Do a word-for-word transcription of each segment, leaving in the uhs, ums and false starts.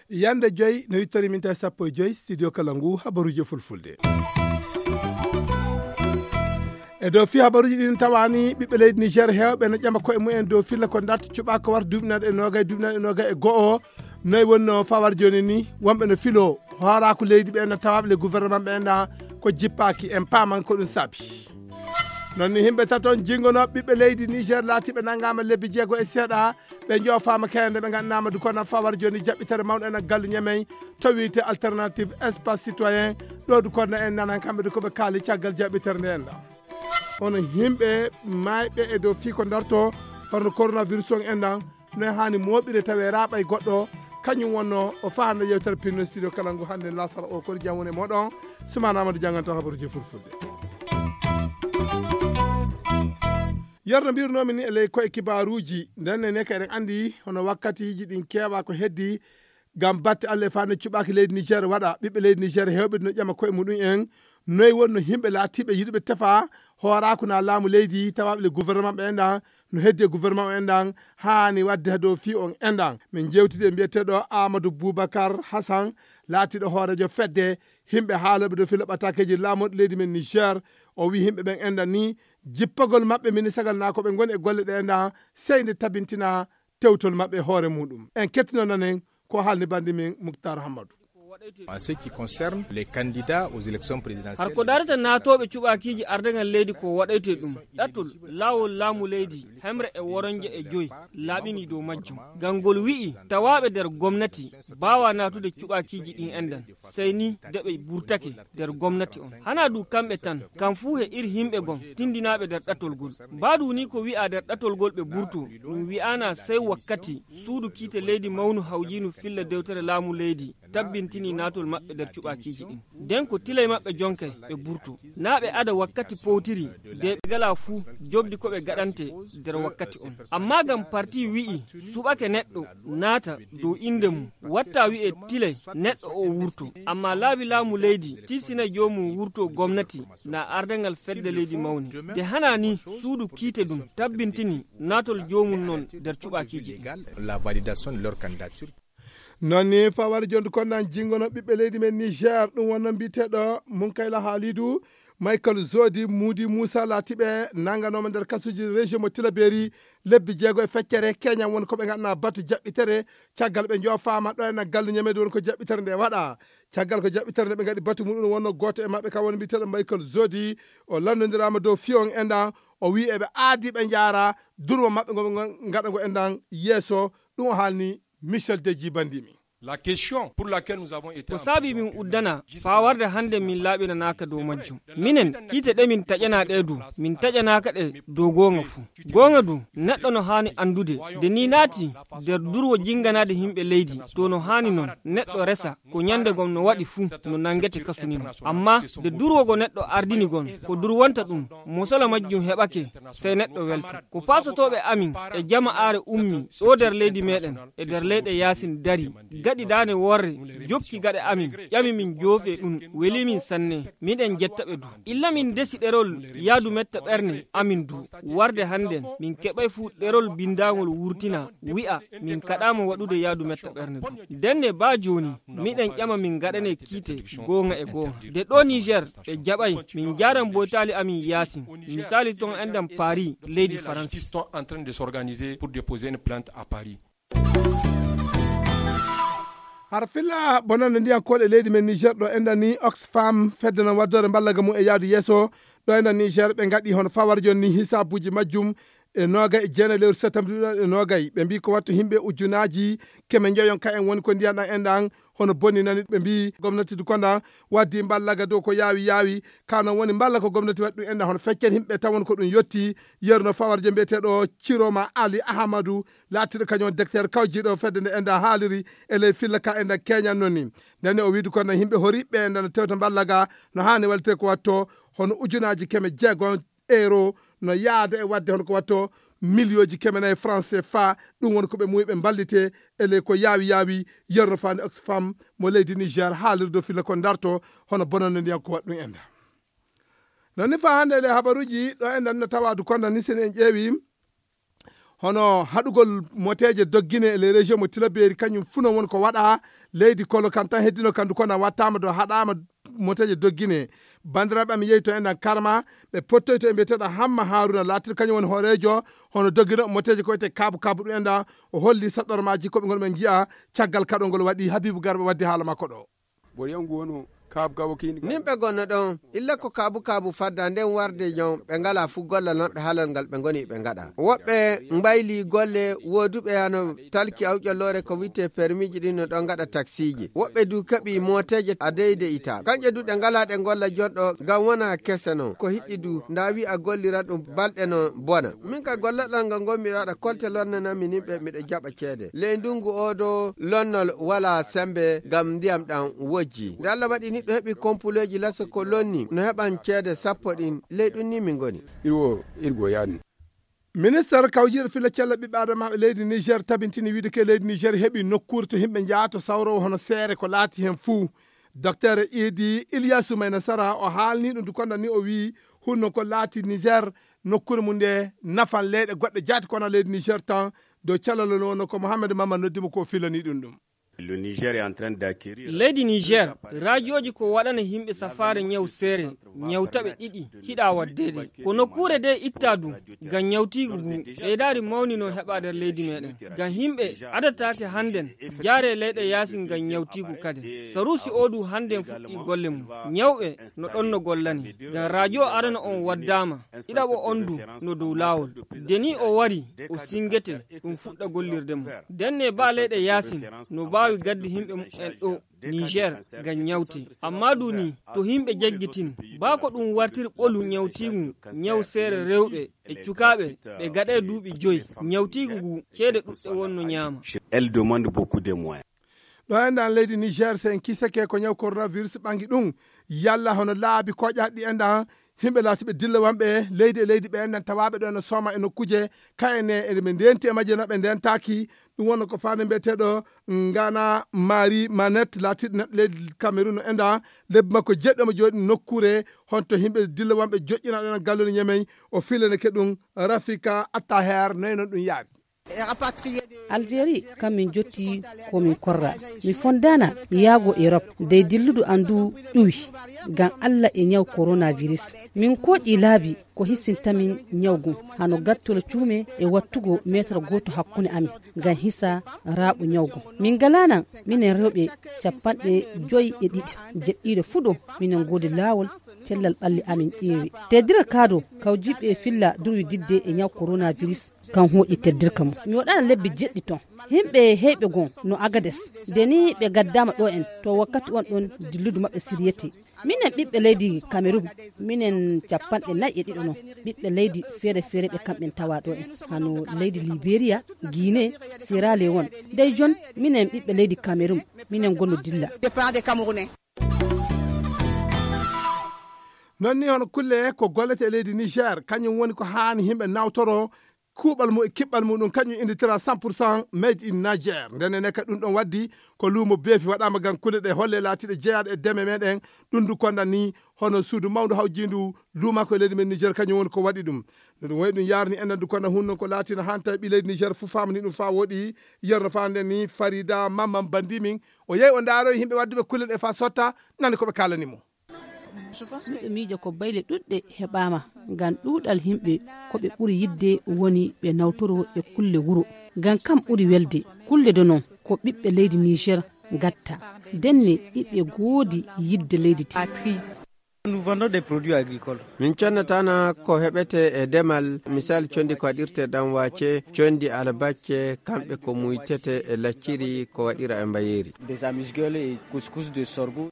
Yande joyi no yittori min tawi sappo e joyi studio kala ngu habaruji e fulfulde. E dow fi habaruji ɗin tawani ɓiɓɓe leydi Niger hewɓe no ƴama koye mumen dow filla ko darta cuɓa ko warta duuɓi naɗe e nogay duuɓi naɗe e nogay e go'o. Noy wonno fawar joni ni wonɓe no filo horaku leydi ɓe na tawaɓe le gouvernement ɓe na ko jippaki en paman ko ɗum saabi. Non ni himɓe taton jingono ɓiɓɓe leydi Niger laatiɓe nangama lebbi jeego e seeɗa ɓe joofama kayande ɓe gandanama du kono fawar joni jaɓɓitere mawɗo en gallu ñamey to wiyte alternative espace citoyen. Ɗo du kono en nanan kamɓe du koɓe kaali caggal jaɓɓitere nde en ɗa hono himɓe mayɓe e dow fii ko darto hono coronavirus on en ɗan no e hani moɓire tawe raɓa e goɗɗo. Kañum wonno o fahande yewtere pinno studio kala ngu hande lasara o kori jam woni e moɗon. Sumana amadou janganta habaruji fulfulde. Yerno mbirunomi ni e ley koye kibaruji ndenne ne ka eɗen andi hono wakkatiji ɗin kewa ko heddi ngam batte allah e fande cuɓaki leydi niger waɗa ɓiɓɓe leydi niger hewɓe no ƴama koye muɗum en. Noy wonno himɓe laatiɓe yiɗuɓe tefa hoorako na laamu leydi tawaɓe le gouvernement ɓe enɗan no heddi e gouvernement o enɗan hani wadde ha dow fi on enɗan min jewtidi e mbiyeteɗo amadou boubacar hassan laatiɗo hoorejo fedde himɓe haaloɓe dow filo ɓatakeji laamoɗo leydi men niger. O wi himɓe ɓen enɗan ni jippagol maɓɓe minisagal na ko ɓe goni e golle ɗe enɗan sey nde tabintina tewtol maɓɓe hoore muɗum en kettino nanen ko haalni bandi min muktar hammadou. En ce qui concerne les candidats aux élections présidentielles. Har ko darata naatooɓe cuɓaakiiji ardagal leydi ko waɗayte ɗum ɗattol laawol laamu leydi hemre e woronje e joyi laaɓini dow majjum. Ngam ngol wi'i tawaaɓe nder gomnati mbaawa naatude cuɓaakiiji ɗin enɗan sey ni nde ɓe burtake nder gomnati on. Hana du kamɓe tan kam fuu he ir himɓe gon tindinaaɓe nder ɗattol gol. Mbaadu ni ko wi'a nder ɗattol gol ɓe burto ɗum wi'ana sey wakkati suudu kiite leydi mawnu hawjinu filla dewtere laamu leydi tabbintini naatol maɓɓe nder cuɓaakiiji ɗin. Nden ko tilay maɓɓe jonkay ɓe burto. Naa ɓe ada wakkati powtiri de ɓe gala fuu jobdi ko ɓe gaɗante nder wakkati on. Amma ngam parti wi'i suɓake neɗɗo naata dow innde mum watta wi'e tilay neɗɗo o wurto. Amma laabi laamu leydi tiisinay joomum wurto gomnati na ardangal fedde leydi mawni. De hana ni suudu kiite ɗum tabbintini naatol joomum non nder cuɓaakiiji ɗin. La validation de leur candidature. Non ni fawar jondu konnan jingono ɓiɓɓe leydi men niger ɗum wonno mbiyeteɗo munkayla haalidu michael zodi mudi moussa laatiɓe nanganoma nder kasuji région mo tilaberi lebbi jeego e feccere keñan woni koɓe ganna batu jaɓɓitere. Caggal ɓe jofama ɗo ena gallu ñamede woni ko jaɓɓitere nde waɗa. Caggal ko jaɓɓitere nde ɓe gaɗi batu muɗum wonno goto e maɓɓe kam woni mbiyeteɗo michael zodi o lannodirama dow fiyon enɗan o wi eɓe aadi ɓe jaara durmo maɓɓe ngo gaɗa ngo enɗan yeeso. Ɗum o haalni michel deji bandimi. La question pour laquelle nous avons été ko saabi min uddana faa warde hannde min laaɓinanaaka dow majjum. Minen kiite ɗe min taƴanaa ɗe du min taƴanaaka ɗe dow goonga fuu. Goonga du neɗɗo no haani anndude nde ni naati nder durwo jinnganaade yimɓe leydi to no haani non neɗɗo resa ko ñannde gom no waɗi fuu no nanngete kasu ni mo. Amma nde durwo go neɗɗo ardini gon ko durwonta ɗum mosola majjum heɓake sey neɗɗo welto. Ko paasotooɓe amin e jama'aare ummi ɗo nder leydi meɗen e nder leyɗe yaasin dari gaɗi daane worre jokki gaɗe amin ƴami min joofe ɗum weli min sanne. Miɗen jetta ɓe du illa min ndesi ɗerol yaadu metta ɓerne amin du warde hannden min keɓay fuu ɗerol binndangol wurtina wi'a min kaɗaama waɗude yaadu metta ɓerne du. Ndenne baa jooni miɗen ƴama min ngaɗane kiite goonga e goonga nde ɗo niger ɓe jaɓay min njaaran boytaali amin yaasin. Misali ton enɗan paris leydi faransi. Sont en train de s'organiser pour déposer une plainte à paris. Har filla bonande ndiyan koɗe leydi men niger ɗo enɗan ni oxfam fedde non waddore mballaga mum e yaadu yeeso. Ɗo enɗan niger ɓe gaɗi hono fawar joni ni hisabuji majjum e noga e jeenayi lewru septembre ɗuɗal e nogayi ɓe mbi ko wattu yimɓe ujunaji keme joyon ka en woni ko ndiyan ɗan enɗan hono bonni nani ɓe mbi gomnati du kondan waddi mballaga dow ko yaawi yaawi. Ka non woni mballa ko gomnati waɗi ɗum enɗan hono feccen yimɓe tawon ko ɗum yetti. Yeru no fawarjo mbiyeteɗo ciroma ali ahamadu laatiɗo kañum on decteur kawjiɗo fedde nde enɗan haaliri e ley filla ka enɗan keñan non ni. Ndenne o wiidi kono yimɓe horiɓɓe enɗan no tewta mballaga no hani wallite ko watto hono ujunaji keme jeegon euro no yaada e wadde hono ko watto miliyooji keme nayi franc cfa. Ɗum woni ko ɓe muuyi ɓe mballite e ley ko yaawi yaawi. Yerno faani Oxfam mo leydi Niger haalirde filla ko darto hono bonande ndiyan ko waɗ ɗum enda. Non ni faa hannde e ley habaruuji ɗo enden no tawaadu konda ni sen en ƴeewi hono haɗugol moteeje doggine e ley région mo Tilaberi kañum fu non woni ko waɗa. Leydi kolo kan tan heddino kandu kono wattaama do haɗaama moteeje doggine. Banndiraaɓe am yeeyi to enɗan karma ɓe pottoyto e mbiyeteeɗo Hamma Haruna laatiiɗo kañum woni hooreejo hono doggino moteeje ko wiyetee kaabu kaabu ɗum enɗan. O holli saɗɗormaaji ko ɓe ngoni ɓe njiya caggal kaɗol ngol waɗi. Habibu Garba waddi haala makko ɗo. Ɓo yangu wono kaabu kaabu kini. Nin ɓe gonno ɗon illa ko kaabu kaabu fadda nden warde jon ɓe ngala fu golla lanɓe halal ngal ɓe ngoni ɓe ngaɗa. Woɓɓe mbayli golle wooduɓe hano talki awƴolloore ko witte permiji ɗin no ɗon ngaɗa taksiji. Woɓɓe du keɓi mooteeje a deyde ita. Kanƴe du ɗe ngala ɗe golla jonɗo ngam wona kese non. Ko hiɗɗi du nda wi a golliran ɗum balɗe non bona. Min ka gollaɗal ngal ngol miɗo waɗa kolte lonnananmi nin ɓe miɗo jaɓa ceede. Ley ndungu oo do lonnol wala sembe ngam ndiyam ɗam wojji. Nde Allah waɗi niɗɗo heɓi kompuleeji lasa ko lonni no heɓan ceede sappo ɗin. Ley ɗum ni min ngoni. Iwo irgo yaani. Minister kawjiiɗo filla cella ɓiɓɓe adamaaɓe leydi Niger tabintini wiide ke leydi Niger heɓi nokkuure to yimɓe njaha to sawrowo hono seere ko laati heen fuu. Docteur Idi Ilyasu Mayna Sara o haalni ɗum dukonda ni o wii hunno ko laati Niger nokkuure mum nde nafan leyɗe goɗɗe jaati kono leydi Niger tan dow calal no wonno ko Mohamed Mamman noddi mo ko filani ɗum ɗum. Leydi Niger raajooji ko waɗana yimɓe safaare ñaw seere ñawtaɓe ɗiɗi hiɗa waddeede ko nokkuure de itta du ngam ñawtiigu ngu ɓeydaari mawni no heɓa nder leydi meɗen ngam yimɓe adataake hannden jaare leyɗe yaasi ngam ñawtiigu kade saruusi o du hannden fuɗɗi golle mum ñawɓe no ɗon no gollani ngam raajoo arana on waddaama ɗiɗaɓo on du no dow laawol de ni o wari o singete ɗum fuɗɗa gollirde mum denne ba leyɗe yaasin no baawi gaddi yimɓe mumen ɗo Niger ngam ñawte amma du ni to yimɓe jaggitin ba ko ɗum wartir ɓolu ñawtiigu ñaw seere rewɓe e cukaaɓe ɓe gaɗe duuɓi joyi ñawtiigu ngu ceede ɗuɗɗe wonno ñaama. Elle demande beaucoup de moyens. Ɗo enɗan leydi Niger so en kisake ko ñaw coronavirus ɓangi ɗum yalla hono laabi koƴaɗi enɗan yimɓe laatiɓe dillowamɓe leydi e leydi ɓe enɗan tawaaɓe ɗo eno sooma e nokkuje kayene eɓe ndenti e majje no ɓe ndentaaki. Ɗum wonno ko faande mbiyeteeɗo ngana marie manette laatiɗo neɗɗo leydi Cameroun no enɗan lebbi makko jeɗɗo mo jooɗi nokkuure honto yimɓe dillowamɓe joƴƴinaɗo en galloni ñemey o filaneke ɗum. Rafika attaher noy noon ɗum yaari. Algérie kam min jotti ko min korra mi fondana yaago Europe dey dilludu andu ƴuwi ngam Allah e ñaw coronavirus min koƴi laabi ko hissintamin ñaw gun hano gattol cuume e wattugo meetar gooto hakkunde amin ngam hisa raaɓo ñaw gun min ngalanan minen rewɓe capanɗe joyi e ɗiɗi jeɗɗiiɗo fuɗo minen ngoodi laawol cellal ɓalli amin ƴeewi teddira kaado kawjiɓe filla durwi didde e ñaw coronavirus kan hooƴi teddirka mum mi waɗana lebbi jeɗɗi ton yimɓe heyɓe gon no agades nde ni ɓe gaddama ɗo en to wakkati on ɗon dilludu maɓɓe siriyete minen ɓiɓɓe leydi cameroun minen capanɗe nayi e ɗiɗo non ɓiɓɓe leydi feere feere ɓe kamɓen tawa ɗo en hano leydi libéria guinée sierra leone dey jon minen ɓiɓɓe leydi cameroun minen gono dilla. Non ni hono kulle ko gollete e leydi niger kañum woni ko haani yimɓe nawtoro kuuɓal mum e kiɓɓal muɗum kañum inditira cent pour cent made in niger nden ene ka ɗum ɗon waddi ko luumo beefi waɗama ngam kulle ɗe holle laatiɗe jeyaɗe e deme meɗen. Ɗum du konda ni hono suudu mawndu hawjindu luuma ko e leydi men niger kañum woni ko waɗi ɗum. No ɗum wayi ɗum yarni enen du konda hunno ko laatina hanta e ɓi leydi niger fuu famani ɗum fa woɗi. Yerno fa nden ni farida mamman bandi min o yehi o ndaaro e yimɓe wadduɓe kulle ɗe fa sotta nani ko ɓe kalani mo. Miɗo miija ko bayle ɗuɗɗe heɓaama ngam ɗuuɗal yimɓe ko ɓe ɓuri yiɗde woni ɓe nawtoro e kulle wuro. Ngam kam ɓuri welde. Kulle do noon ko ɓiɓɓe leydi Niger ngatta. Ndenne iɓe ngoodi yiɗde leydi ndi. Nous vendons des produits agricoles. Min connatana ko heɓete e demal misal condi ko waɗirte ɗanwace condi albacce kamɓe ko muytete e lacciri ko waɗira e mbayeeri. Des amuse-gueules et couscous de sorgho.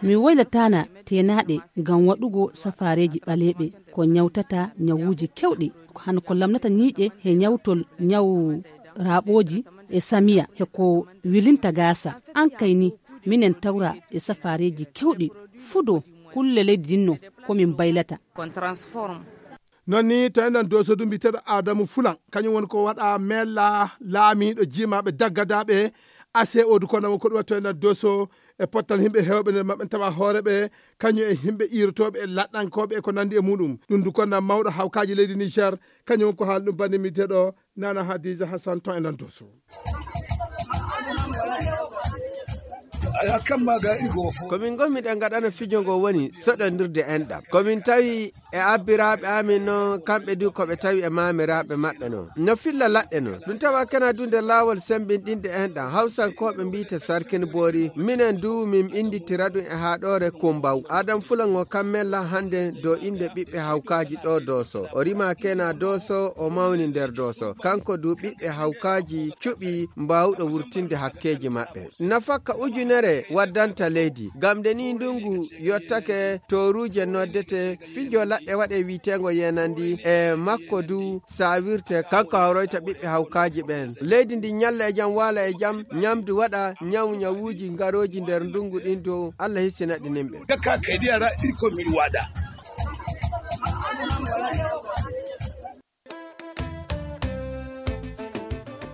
Mi woylataana teenaaɗe ngam waɗugo safaareeji ɓaleeɓe ko ñawtata ñawuuji keewɗi, hano ko lamnata ñiiƴe he ñawtol ñaw raaɓooji e samiya he ko wilinta gaasa. Aan kay ni, minen tawra e safaareeji keewɗi fuu ɗo kulle leydi ɗin no ko min mbaylata. Non ni to enɗan doso du mbiteɗo adamu fulan, kañum woni ko waɗa mella laamiɗo jimaɓe daggadaɓe ase odu kona won ko ɗum watto enɗan doso e pottal himɓe hewɓe nder maɓɓe tawa hooreɓe, kañum e himɓe irotoɓe e laɗɗankoɓe e ko nandi e muɗum. Ɗum du konna mawɗo hawkaji leydi Niger, kañum won ko haalɗum bannimi deɗo nana Hadiza Hassan to enɗan doso. Ko min ngomi ɗen ngaɗana fijo ngo woni soɗondirde enɗam. Ko min tawi e abbiraaɓe amin noon, kamɓe du ko ɓe tawi e maamiraaɓe maɓɓe noon no filla laɗɗe noon. Ɗum tawa kena du nder laawol semmbinɗinde enɗam, hawsankooɓe mbiyta sarkin boori. Minen du min innditira ɗum e haaɗoore Kumbaw. Adam Fulan o kam mella hannde do innde ɓiɓɓe hawkaaji ɗo Dooso. O rima kena Dooso, o mawni nder Dooso. Kanko du ɓiɓɓe hawkaaji cuɓi mbaawɗo wurtinde hakkeeji maɓɓe. Nafakka ujunere waddanta leydi. Ngam nde nii ndungu yottake, tooruuje noddete, fijo laɗɗe waɗe wi'eteengo yeenandi e makko du saawirte, kanko hawroyta ɓiɓɓe hawkaaji ɓeen. Leydi ndi ñalla e jam, waala e jam, ñamdu waɗa, ñaw ñawuuji ngarooji nder ndungu ɗin dow. Allah hisina ɗi nimɓe. Jakka kadi ara iko min waɗa.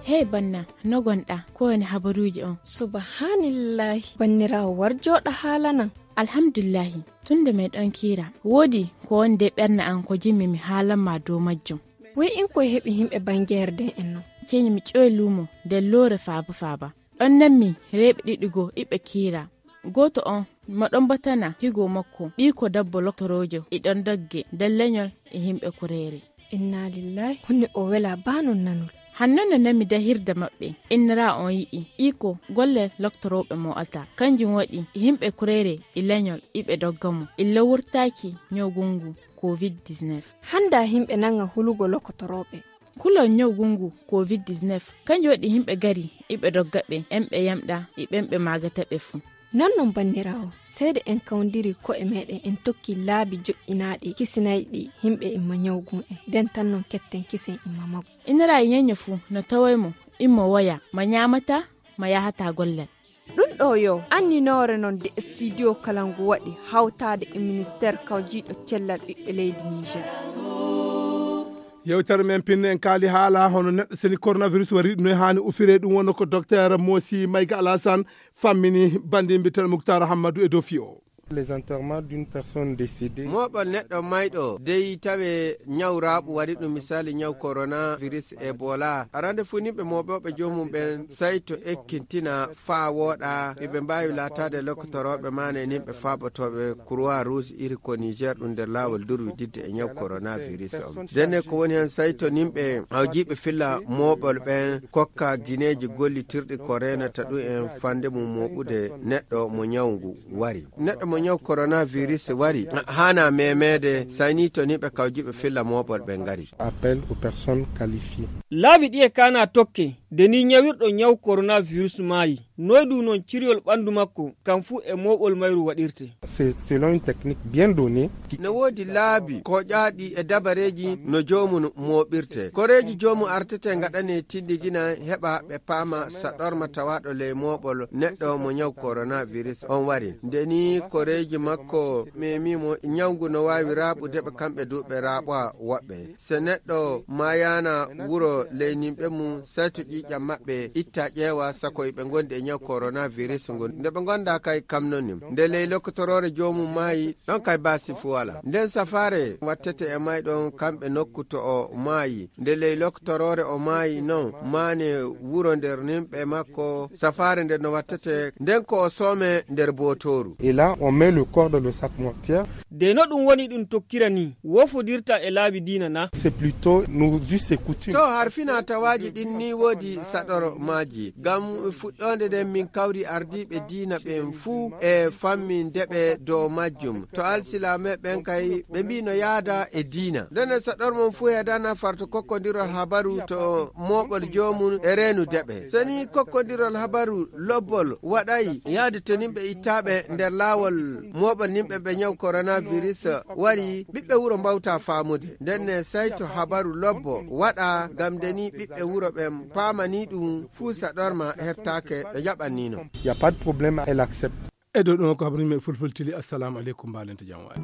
Hey banna, no gonɗa? Ko woni habaruuji on? Subhanallahi, banniraawo war jooɗa haalanan. Alhamdulillahi, tun nde meɗon kiira, woodi ko woni de ɓernde an ko jimmi mi haalan ma dow majjum. Woy in koye heɓi himɓe bangeere den en non? Ceñi mi ƴoy luumo nder loore faaba faaba. Ɗon nanmi reeɓe ɗiɗi goo iɓe kiira. Gooto on mo ɗon batana higo makko, ɓiiko dabbo loktoroojo e ɗon dogge nder leñol e himɓe kureere. Inna lillahi, honno o wela baa non nanol. Hanno no nami dahirde maɓɓe, innira on yi'i iko golle loktorooɓe mo alta. Kanjum waɗi yimɓe kureere e leñol iɓe dogga mo illa wurtaaki ñawgungu covid dix-neuf. Hannda yimɓe nanga hulugo lokotorooɓe. Kulol ñawgungu covid dix-neuf, kanjum waɗi yimɓe gari iɓe dogga ɓe, en ɓe yamɗa e ɓen ɓe maagata ɓe fuu. Non non banniraawo, seede en kawndiri ko'e meɗen en tokki laabi joƴƴinaaɗi kisinayɗi yimɓe imma ñawgun en, nden tan non ketten kisen imma maggu. Inira e ñeño fuu no tawoy mo, immo woya, ma ñaamata, ma yahata gollal. Ɗum ɗo yo anninoore non de studio kala ngu waɗi hawtaade e ministeer kawjiiɗo cellal ɓiɓɓe leydi Niger. Yewtere men pinne en kaali haala hono neɗɗo seni coronavirus wari ɗum no haani ufire, ɗum wonno ko docteur Mosi Mayga Alassane fammini bandi mbiten Muktar Hammadu e dofi o. Les enterrements d'une personne décédée. Moɓol neɗɗo mayɗo dey tawe ñaw raaɓu wari ɗum, misali ñaw coronavirus Ebola. Arande fuu nimɓe moɓoɓe joomum ɓen sayto ekkintina faa wooɗa, iɓe mbaawi laataade lokotoroɓe maane nimɓe faabotoɓe Croix Rouge iri ko Niger ɗum nder laawol durwi didde e ñaw coronavirus on. Denne ko woni hen sayto nimɓe awjiiɓe filla moɓol ɓen kokka gineeji gollitirɗi ko reenata ɗum en fande mum moɓude neɗɗo mo ñaw ngu wari. Neɗɗo mo ñaw coronavirus wari, haana memeede, sayni to ni ɓe kawjiiɓe filla moɓol ɓe ngari. Appel aux personnes qualifiées. Laabi ɗiye kaana tokke, de ni ñawirɗo ñaw coronavirus maayi. Noy ɗum non ciryol ɓandu makko, kam fuu e moɓol mayru waɗirte. C'est selon une technique bien donnée. No woodi laabi koƴaaɗi e dabareeji no joomum moɓirte. Koreeji joomum artete ngaɗane tindigina heɓa ɓe paama saɗorma tawaaɗo ley moɓol neɗɗo mo ñaw coronavirus on wari. Nde ni koreeji makko memi mo ñaw ngu no waawi raaɓude ɓe kamɓe du ɓe raaɓa woɓɓe. Se neɗɗo maayaana wuro ley nimɓe mum, sayto ƴiiƴam maɓɓe, itta ƴeewa sako iɓe ngondi e ñaw coronavirus ngun. Nde ɓe ngonda kay kam non ni. Nde ley lokotoroore joomum maayi, ɗon kay baasi fu wala. Nden safaare wattete e mayɗon kamɓe nokku to o maayi. Nde ley lokotoroore o maayi non, maane wuro nder nimɓe makko, safaare nde no wattete, nden ko o soome nder bootooru. Et là, on met le corps dans le sac mortuaire. De no ɗum woni ɗum tokkira ni, wofodirta e laabi diina na? C'est plutôt nos us et coutumes. To harfina tawaaji ɗin ni woodi saɗor maaji. Ngam fuɗɗoonde nden min kawri ardiiɓe diina ɓen fuu e fammi ndeɓe dow majjum. To alsilaame ɓen kay ɓe mbii no yaada e diina. Ndene saɗor mon fuu heedana farto kokkondirol habaru to mooɓol joomum e reenu deɓe. Seni kokkondirol habaru lobbol waɗay yaade to nimɓe ittaaɓe nder laawol mooɓol nimɓe ɓe ñaw coronavirus wari, ɓiɓɓe wuro mbawta faamude. Ndenne sayto habaru lobbo waɗa ngam nde ni ɓiɓɓe wuro ɓen paamani ɗum fuu saɗorma heɓtaake ɓe jaɓannino. Y a pas de problème, elle accepte. E dow ɗum ko habaruji men fulfultili. Assalamu aleykum, mbalente jam waali.